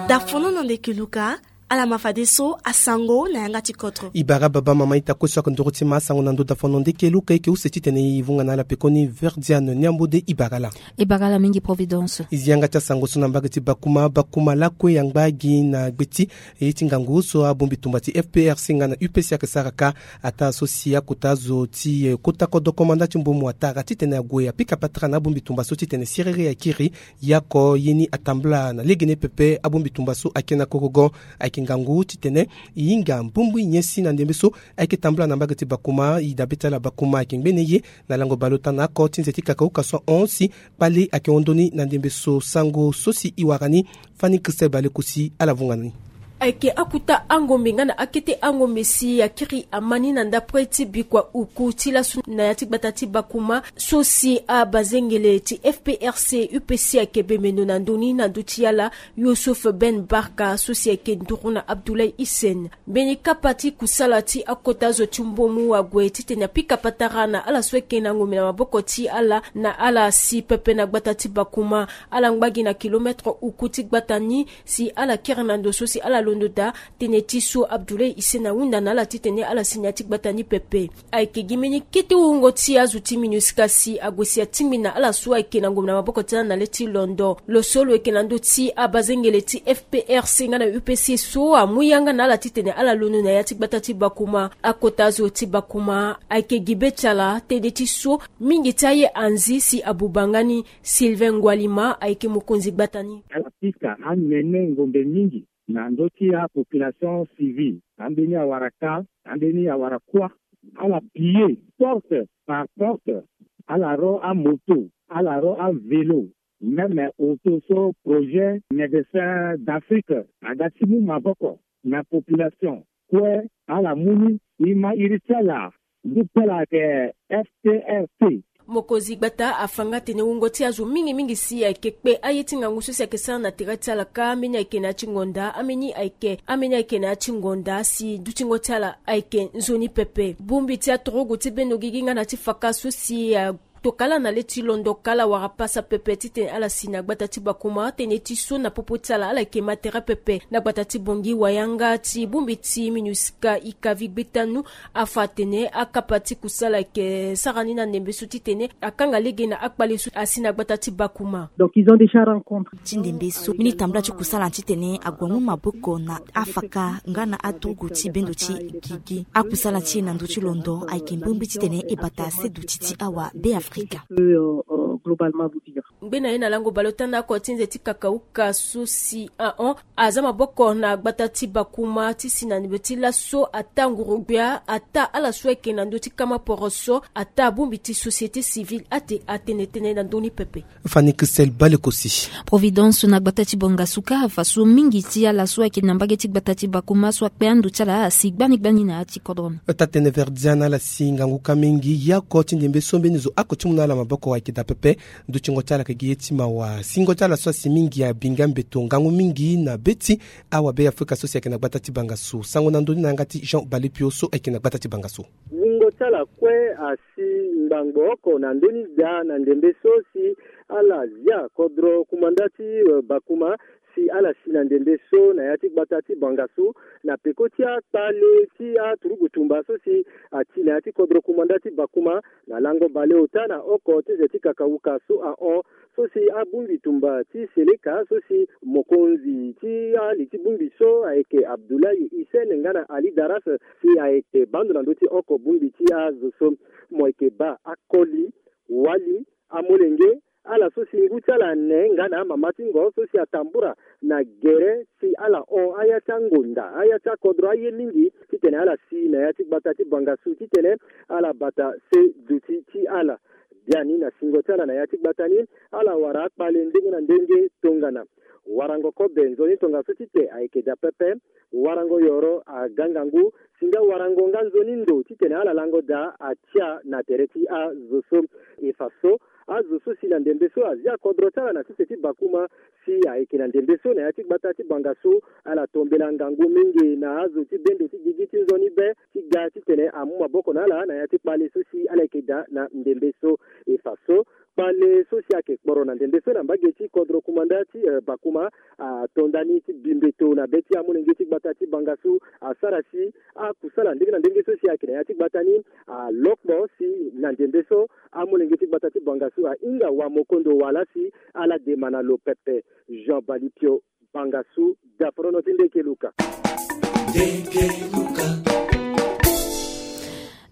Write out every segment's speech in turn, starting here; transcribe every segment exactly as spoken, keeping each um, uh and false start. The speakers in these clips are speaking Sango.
Dafono na ndeke luka. Ala ma fadeso asango na yanga ti kodro. E bara baba mama ita kue so ake nduru ti ma asango na ndo dafono ndeke luka eke use titene e vunga na ala pekoni. Verdiane ni ambode e bara ala. E bara ala mingi providence. E zi yanga ti asango so na mbage ti bakuma bakuma lakue angba gi na gbe ti e ye ti ngangu so abongbi tumba ti fprc nga na upc ake sara ka. Ataa so si akota zo ti kota kodro komanda ti mbomu ataa titene ague apika patara na abongbi tumba so titene siriri akiri. Yako ye ni atambula na legene pepe abongbi tumba so ayeke na korogon. Ayeke ngangu titene e hinga mbongbi nyen si na ndembe so ayeke tambula na mbage ti bakuma e dabe ti ala bakuma ayeke ngbene ye. Na lango baleota na oko ti nze ti kakauka so ahon si kpale ayeke hon ndoni na ndembe so sango so si e wara ni. Fani christelle balekosi ala vunga na ni. Ayeke akuta angombe nga na akete angombe si akiri ama ni na ndapre ti bikua uku ti lasu na ya ti gbata ti bakuma so si abazengele ti fprc upc ayeke bemendo na ndö ni na ndö ti ala. Yusuf ben barka so si ayeke nduru na abdoulaye hisen mbeni kapa ti kusala ti akota zo ti mbomu ague titene apika patara na ala so ayeke na ngombe na maboko ti ala na ala si pepe na gbata ti bakuma. Ala ngba gi na kilometre uku ti gbata ni si ala kiri na ndo so si ala londo daa. Tënë ti so abdoulaye hisen ahunda na ala titene ala si na ya ti gbata ni pepe. Ayeke gi mbeni kete wungo ti azo ti minusca si ague si atingbi na ala so ayeke na ngombe na maboko ti ala na le ti londo lo so lo yeke na ndö ti abazengele ti fprc nga na upc so amu yanga na ala titene ala londo na ya ti gbata ti bakuma. Akota azo ti bakuma ayeke gi be ti ala tënë ti so mingi ti aye anzi si abuba nga ni. Sylvain ngwalima ayeke mokonzi gbata ni. Ala pika anene ngombe mingi na ndö ti apopulation civile. Ambeni awara ka, ambeni awara kuâ. Ala piller porte par porte. Ala ro amoto, ala ro avelo, même auto so projet médecin d'afrique aga ti mu maboko na population. Kue ala mu ni. E ma iri ti ala. Ngu ti ala ayeke ftrc. Mokonzi gbata afa nga atene wungo ti azo mingi mingi si ayeke kpe aye ti ngangu so si ayeke sara na tere ti ala ka ambeni ayeke na ya ti ngonda ambeni ayeke ambeni ayeke na ya ti ngonda si dutingo ti ala ayeke nzoni pepe bongbi ti aturugu ti bendo gigi nga na ti faka so si a tokala na le ti londo kala wara pasa pepe titene ala si na gbata ti bakuma tënë ti so na popo ti ala ala yeke ma tere pepe na gbata ti bongi wayanga ti bongbi ti minusca ikavi gbetanu. Afa atene akapa ti kusala ayeke sara ni na ndembe so titene akanga lege na akpale so asi na gbata ti bakuma. Donc ils ont déjà rencontré ti ndembe so mbeni tambula ti kusala titene ague amu maboko na afaka nga na aturugu ti bendo ti gigi akusala ti e na ndö ti londo ayeke mbongbi titene e bata seduti ti awa be afrika. Globalement vous dire. Ngbene na ye na lango baleota na oko ti nze ti kakauka so si ahon aza maboko na gbata ti bakuma ti si na ndembe ti laso ataa nguru-gbia ataa ala so ayeke na ndö ti kama poroso ataa bongbi ti société civile ate atene tënë na ndö ni pepe. Fani christelle balekosi. Providence na gbata ti bangasuka afa so mingi ti ala so ayeke na mbage ti gbata ti bakuma so akpe ando ti ala asi gbani gbani na ya ti kodro ni. Taa tënë verdian ala si ngangu ka mingi yako ti ndembe so mbeni zo ako ti mu na ala maboko ayeke daa pepe. Ndutingo ti ala ayeke gi ye ti mawa singo ti ala so asi mingi abinga mbeto ngangu mingi na be ti awa be afrika so si ayeke na gbata ti bangasu sango na ndö ni na yanga ti jean balipio so ayeke na gbata ti bangasu. Wungo ti ala kue asi ngbangbo oko na ndö ni daa na ndembe so si ala zia kodro kumanda ti bakuma si ala si na ndembe so na ya ti gbata ti bangasu na peko ti akpale ti aturugu tumba so si ati na ya ti kodro kumanda ti bakuma. Na lango baleota na oko ti ze ti kakauka so ahon so si abongbi tumba ti seleka so si mokonzi ti ali ti bongbi so ayeke abdullahi hisen nga na ali daras si ayeke bando na ndö ti oko bongbi ti azo so mo yeke baa akoli wali amolenge ala so si ngu ti ala ne nga na amama ti ngo so si atambura na gere si ala hon aya ti angonda aya ti akodro aye mingi titene ala si na ya ti gbata ti bangasu titene ala bata se duti ti ala. Biani na singo ti ala na ya ti gbata ni ala wara akpale ndenge na ndenge tongana warango kobe nzoni tongaso ti te ayeke daa pepe. Warango yoro aga ngangu si nga warango nga nzoni ndo titene ala lango daa atia na tere ti azo so. E fa so Azo so si na ndembe so azia kodro ti ala na sese ti Bakuma, si ayeke na ndembe so na ya ti gbata ti Bangassou, ala tombela ngangu mingi na azo ti bendo ti gigi ti nzoni be ti ga titene amu maboko na ala na ya ti kpale so si ala yeke daa na ndembe so. E fa so kpale so si ayeke kporo na ndembe so na mbage ti kodro kumanda ti Bakuma atonda ni ti bi mbeto na be ti amolenge ti gbata ti Bangassou, asara si akusala ndenge na ndenge so si ayeke na ya ti gbata ni alokpo si na ndembe so amolenge ti gbata ti Bangassou ahinga wamokondo wala si ala dema na lo pepe. Jean Balipio, Bangassou, daforono ti Ndekeluka.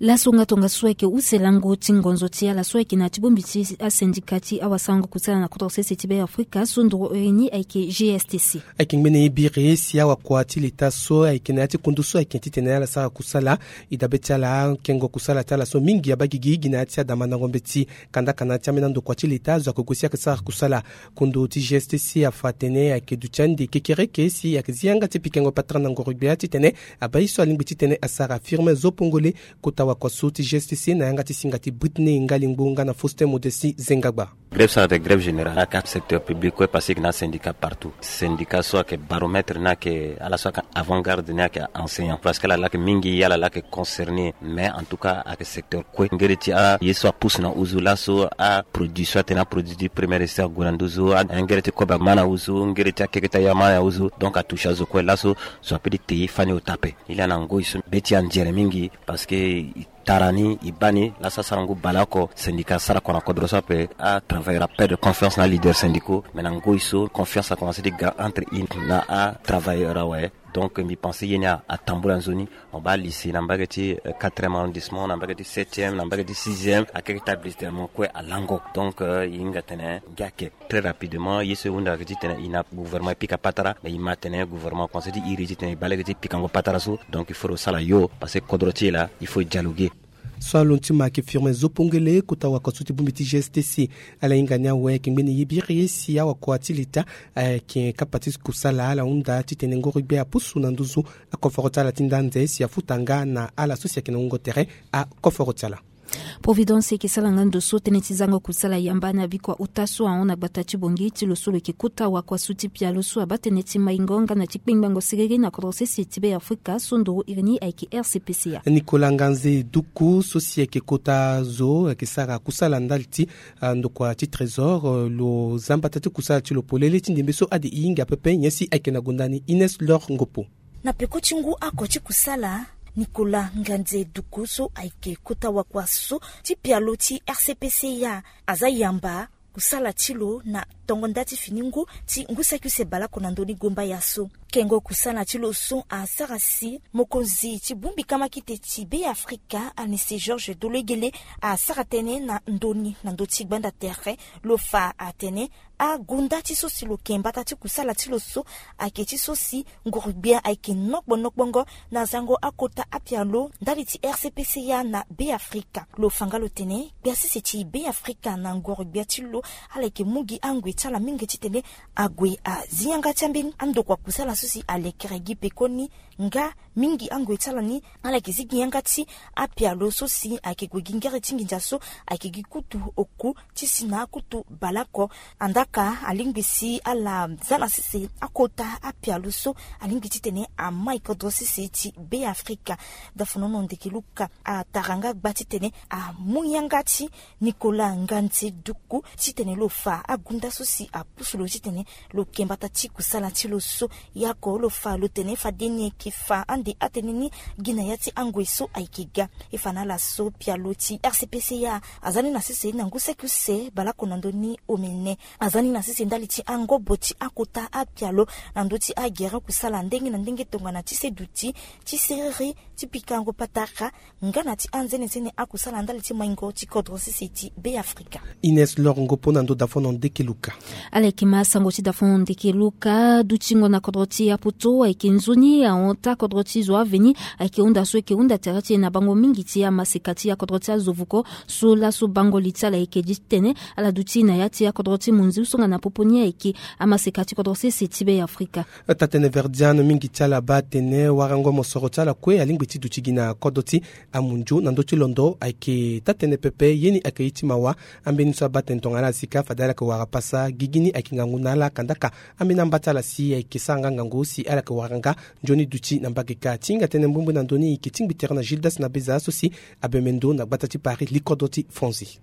Laso nga tongaso ayeke use lango ti ngonzo ti ala so ayeke na ti bongbi ti asindika ti awasarango kusala na kodro sese ti Be Afrika so nduru iri ni ayeke G S T C. Ayeke ngbene ye biri si awakua ti leta so ayeke na ya ti kundu so ayeke titene ala sara kusala. E dabe ti ala akengo kusala ti ala so mingi abaa gigi gi na ya ti adamandango mbeti. Kandaka na ya ti ambeni andokua ti leta azo ayeke gue si ayeke sara kusala. Kundu ti G S T C afa atene ayeke duti ande kekereke si ayeke zi yanga ti pikango patara na ngoro gbia titene abaa ye so alingbi titene asara Firmin Zopongole, kota wakua so ti G S T C na yanga ti singa ti Brittney Ngalingbo nga na Faustin Modesti Zengagba. Grève so ayeke grève générale ayeke secteur public kue parce que na syndicat partout. Syndicat so ayeke baromètre ni ayeke ala so ayeke avant garde ni ayeke enseignant parce que ala laa ayeke mingi ala laa ayeke concerné, mais en tout cas ayeke secteur kue ngere ti aye so apousse na huzu laso aproduit so atene aproduit ti première essai ague na nduzu, angere ti kobe ama na huzu, ngere ti akeketa ye ama na huzu, donc atouche azo kue laso. Zo ape ti te ye fani ota ape. Ye laa na ngoi so be ti anzere mingi parce que e tara ni e baa ni laso asara ngu baleoko syndicat asara kua na kodro so ape. Atravailleur aperdre confiance na aleader syndicaux, mais na ngoi so confiance akomanse ti ga entre e na atravailleur awe. Donc mbi pense ye ni atambula nzoni. Mo baa lycée na mbage ti quatrième arrondissement, na mbage ti septième, na mbage ti sixième, akeke ti établissement kue alango. Donc e hinga tene ngia ake. Très rapidement ye so e hunda ayeke titene e na gouvernement e pika patara, mais e ma tene gouvernement conseil ti iri titene e baa lege ti pikango patara so. Donc il faut lo sala yo parce que kodro ti e laa il faut e dialoguer. So alondo ti ma ayeke Firmin Zopongele, kota wakua so ti bongbi ti G S T C. Ala hinga ni awe ayeke ngbene ye biri si awakua ti leta ayeke kapa ti kusala. Ala hunda titene ngoro gbia apusu na nduzu akoforo ti ala ti nda anze si afuta nga na ala so si ayeke na wungo tere akoforo ti ala. Providence ayeke sara nga ndo so tënë ti zango kusala yamba na bikua ota so ahon na gbata ti Bangui ti lo so lo yeke kota wakua so ti pialo so abaa tënë ti maingo nga na ti kpengbango siriri na kodro sese ti Be Afrika so nduru iri ni ayeke R C P C A. Nicolas Nganze Duku so si ayeke kota zo ayeke sara kusala ndali ti ndokua ti trésor, lo za mbata ti kusala ti lo polele ti ndembe so ade e hinga pepe nyen si ayeke na gonda ni. Ines Lor Ngopo. Na peko ti ngu oko ti kusala, Nicolas Nganze Duku so ayeke kota wakua so ti pialo ti R C P C A aza yamba kusala ti lo na tongo nda ti fini ngu ti ngu saki use baleoko na ndö ni gomba ya so. Kengo kusala ti lo so asara si mokonzi ti bongbi kamakite ti Be Afrika, Anise Georges Dologuele, asara tënë na ndö ni na ndö ti gbanda tere. Lo fa atene agonda ti so si lo yeke mbata ti kusala ti lo so ayeke ti so si nguru-gbia ayeke nokpo nokpongo na zango akota apialo ndali ti R C P C A na Be Afrika. Lo fa nga lo tene gbia sese ti Be Afrika na nguru-gbia ti lo ala yeke mu gi angoi ti ala mingi titene ague azi yanga ti ambeni andokua kusala so si alekere gi pekoni. Nga mingi angoi ti ala ni ala yeke zi gi yanga ti apialo so si ayeke gue gi ngere ti nginza so ayeke gi kutu oku ti si na akutu baleoko. Andaka alingbi si ala za na sese akota apialo so alingbi titene amai kodro sese ti Be Afrika. Dafonono Ndekeluka atara nga gba titene amu yanga ti Nicolas Nganze Duku titene lo fa agonda so si apusu lo titene lo yeke mbata ti kusala ti lo so. Yako lo fa lo tene fade ni ayeke fa ande atënë ni gi na ya ti angoi so ayeke ga. E fa na ala so pialo ti R C P C A aza ni na sese na ngu saki use baleoko na ndö ni omene. Aza ni na sese ndali ti angobo ti akota apialo na ndö ti agere kusala ndenge na ndenge tongana ti se duti, ti seriri, ti pikango patara nga na ti anzenezene akusala ndali ti maingo ti kodro sese ti Be Afrika. Ines Lor Ngopo na ndö Dafono Ndekeluka. Ala yeke ma sango ti Dafono Ndekeluka dutingo na kodro ti Ya poto ayeke nzoni ahon taa kodro ti zo aveni ayeke hunda so eke hunda tere ti e na bango mingi ti amaseka ti akodro ti azo vuko. So laso bango li ti ala eke gi titene ala duti na ya ti akodro ti monzi usonga na popo ni ayeke amaseka ti kodro sese ti be ya afrika. Taa-tënë verdiano mingi ti ala baa atene warango mosoro ti ala kue alingbi ti duti gi na kodro ti amundio na ndö ti londo ayeke taa-tënë pepe ye ni ayeke ye ti mawa. Ambeni so abaa tene tongana ala sika fade ala yeke wara pasa gigi ni ayeke ngangu na ala kandaka. Ambeni amba ti ala si ayeke sara nga ngangu si ala yeke wara nga nzoni duti na mbage ka ti hinga tënë mbumbui na ndö ni e yeke tingbi tere na gildas na beza so si abembe ndo na gbata ti paris li kodro ti franzi.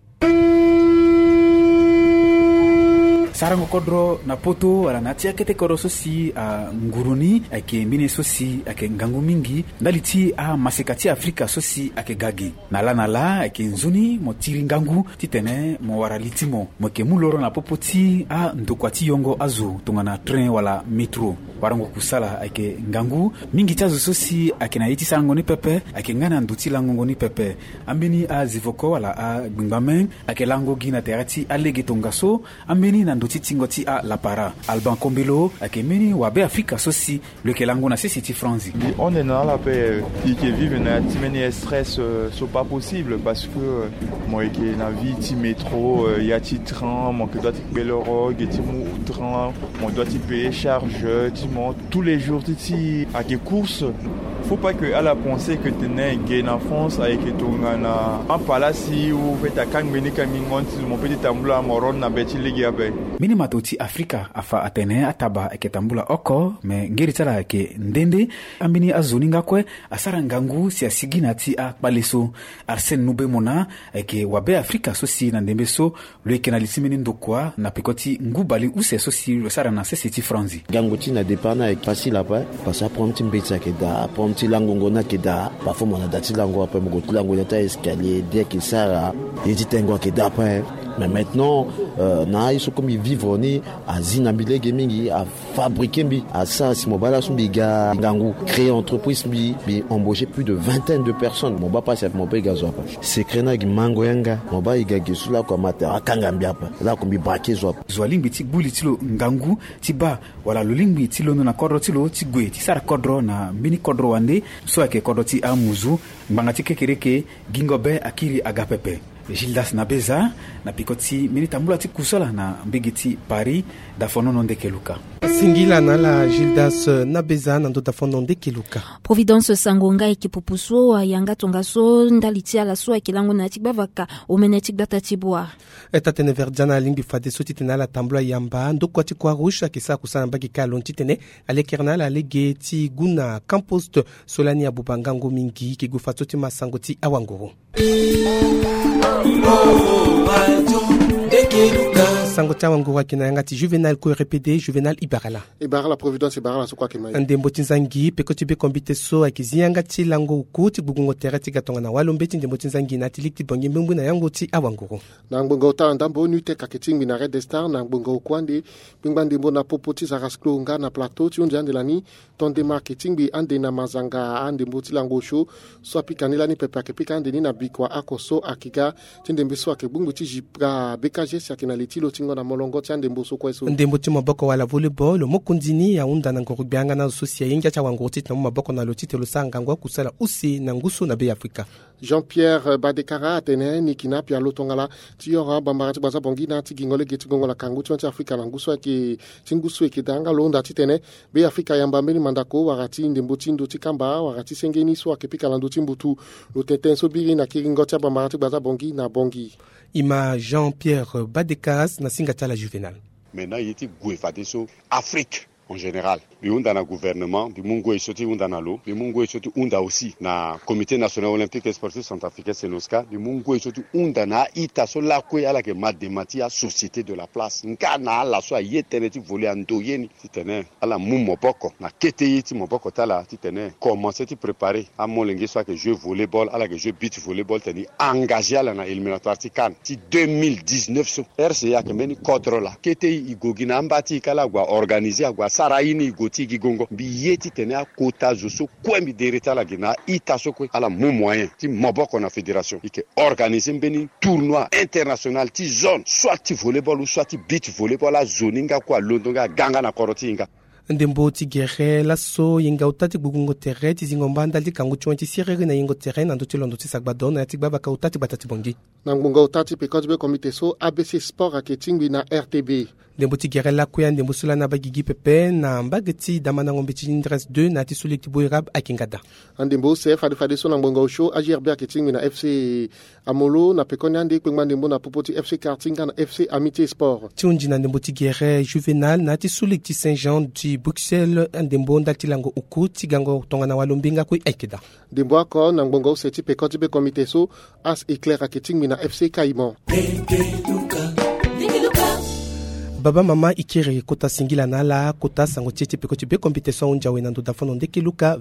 Sarango kodro na poto wala na ya ti akete kodro so si anguru ni ayeke mbeni ye so si ayeke ngangu mingi ndali ti amaseka ti afrika so si ayeke ga gi. Na laa na laa ayeke nzoni mo tiri ngangu titene mo wara li ti mo mo yeke mu loro na popo ti andokua ti yongo azo tongana train wala métro. Warango kusala ayeke ngangu. Mingi ti azo so si ayeke na ye ti sarango ni pepe ayeke nga na ndo ti langongo ni pepe. Ambeni azivoko wala agbengbame ayeke lango gi na tere ti alege tongaso. Ambeni na ndo ti tingo ti alapara alban kombelo ayeke mbeni wabe afrika so si lo yeke lango na sese ti franzi. Mbi hon na ala ape. E yeke vive na ya ti mbeni stress so pas possible parce que mo yeke na vie ti métro, ya ti train mo yeke doit ti kpe loro ge ti mu train, mo doit ti payer charge ti mo tous les jours ti ti ayeke course. Faut pas que ala pense que tene ge na france ayeke tongana apalasi ou fete akangbi ni kangbi ngon ti zo mo pe ti tambula mo ron na be ti lege ape. Mbeni mato ti afrika afa atene ataba ayeke tambula oko me ngeri ti ala ayeke nde nde. Ambeni azo ni nga kue asara ngangu si asigi na ya ti akpale so. Arsène nubemona ayeke wabe afrika so si na ndembe so lo yeke na li ti mbeni ndokua na peko ti ngu baleuse so si lo sara na sese ti franzi. Gango ti na départ ni ayeke facile ape. Parce que aproblème ti mbeti ayeke daa, aproblème ti langongo ni ayeke daa. Parfois mo na da ti lango ape mo gue ti lango na ya ti aescalier di ayeke sara ye ti tengo ayeke daa ape. Mais maintenant na aye so comme e vivre ni azi na mbi lege mingi. Afabriquer mbi asara si mo baa laso mbi ga ngangu créer entreprise mbi mbi embaucher plus de vingtaine de personnes mo baa pasi ape mo baa e ga zo ape. Secret ni agi mango yanga mo baa e ga gi so lako ama tere akanga mbi ape. Lako mbi braquer zo ape. Zo alingbi ti gbu li ti lo ngangu ti baa wala lo lingbi ti londo na kodro ti lo ti gue ti sara kodro na mbeni kodro wande so ayeke kodro ti amuzu. Ngbanga ti kekereke gingo be akiri aga pepe. Gildas na beza na piko ti mbeni tambula ti kusala na mbege ti paris. Dafonono ndeke luka. Singila na ala gildas na beza na ndo dafonono ndeke luka. Providence sango nga eke pupu so ayanga tongaso ndali ti ala so ayeke lango na ya ti gbavaka omene ti gbata ti bua. Taa-tene verdiana alingbi fadeso titene ala tambula yamba ndokua ti croix rouge ayeke sara kusala na mbage ka alondo titene alekere na ala lege ti gu na camp poste. So lani abuba ngangu mingi eke gue fadeso ti ma sango ti awanguru. Sango ti awanguru ayeke na yanga ti juvenal kue répété juvenal ibarala. Ibarala providence ibarala so kue ayeke ma ye. Ndembo ti nzangi peko ti bekombite so ayeke zi yanga ti lango oku ti gbugbungo tere ti ga tongana walombe ti ndembo ti nzangi na ya ti liki ti bongi mbengbu na yango ti awanguru. Na ngbonga ota na ndambo nutec ayeke tingbi na red star na ngbonga oku ande. Gbengba ndembo na popo ti zarasklo nga na plateau ti hunzi ande lani. Ton denmark e tingbi ande na mazanga andembo ti lango osio. So apika ni lani pepe ayeke pika ande ni na bikua oko so ayeke ga ti ndembe so ayeke gbongbi ti zipra bekaze si ayeke na li ti lo tingo na molongo ti andembo so kue so. Ndembo ti maboko wala volleyball mokonzi ni ahunda na ngoro gbianga na zo so si aye ngia ti awanguru titene amu maboko na lo titene lo sara ngangu akusala use na ngu so na be ya afrika. Jean-pierre badekara atene ni yeke na apialo tongana ti yoro abambara ti gbaza bongi na ti gingo lege ti gongo na kangu ti hon ti afrika na ngu so ayeke ti ngu so eke daa nga lo hunda titene be afrika ayamba mbeni mandako wala ti ndembo ti ndo ti kamba wala ti senge ni so ayeke pika na ndo ti mbutu. Lo tene tënë so biri na kiringo ti abambara ti gbaza bongi na bongi. Ima jean-pierre badekaras na singa ti ala juvenal. Maintenant ye ti gue fadeso afrique en général mbi hunda na gouvernement mbi mu ngoi so ti hunda na lo mbi mu ngoi so ti hunda aussi na comité national olympique et sportif centrafricain senosca mbi mu ngoi so ti hunda na a-ita so lakue ala yeke ma dema ti asociété de la place nga na ala so aye tënë ti vole ando ye ni titene ala mu maboko na kete ye ti maboko ti ala titene commence ti préparer amolenge so ayeke jeu volleyball ala yeke jeu beach volleyball titene e engage ala na éliminatoire ti cannes ti deux mille dix-neuf so. Rce ayeke mbeni kodro laa kete e e gue gi na amba ti e ka ala gue aorganize ague asara aye ni e gue ti e gi gongo mbi ye titene akota zo so kue mbi dere ti ala gi na a-ita so kue ala mu moyen ti maboko na fédération e yeke organize mbeni tournoi international ti zone soit ti volleyball ou soit ti beach volleyball azo ni nga kue alondo nga aga nga na kodro ti e nga. Ndembo ti gere laso yenga ota ti gbugbungo tere ti zingo mba ndali ti kangu ti wen ti siriri na yengo tere na ndö ti londo ti sagbado na ya ti gbabaka ota ti gbata ti bongi. Na ngbonga ota ti peko ti be komite so abc sport ayeke tingbi na rtb. Ndembo ti gere lakue andembo so lani abaa gigi pepe na mbage ti damandango mbeti ti ndres deux na ya ti so lege ti boirab ayeke nga daa. Andembo use fade fadeso na ngbonga osio agrb ayeke tingbi na fc amolo na pekoni ande kpengba ndembo na popo ti fc quartier nga na fc amitié sport. Ti hunzi na ndembo ti gere juvenal na ya ti so lege ti saint jean du bruxelles andembo ndali ti lango oku ti gango tongana walo mbenga kue ayeke daa. Ndembo oko na ngbonga use ti peko ti be komite so as éclair ayeke tingbi na fc caïman. Baba mama ikiri kota singila na ala kota sango ti e ti peko ti be komite so ahunzi awe na ndo dafono ndeke luka.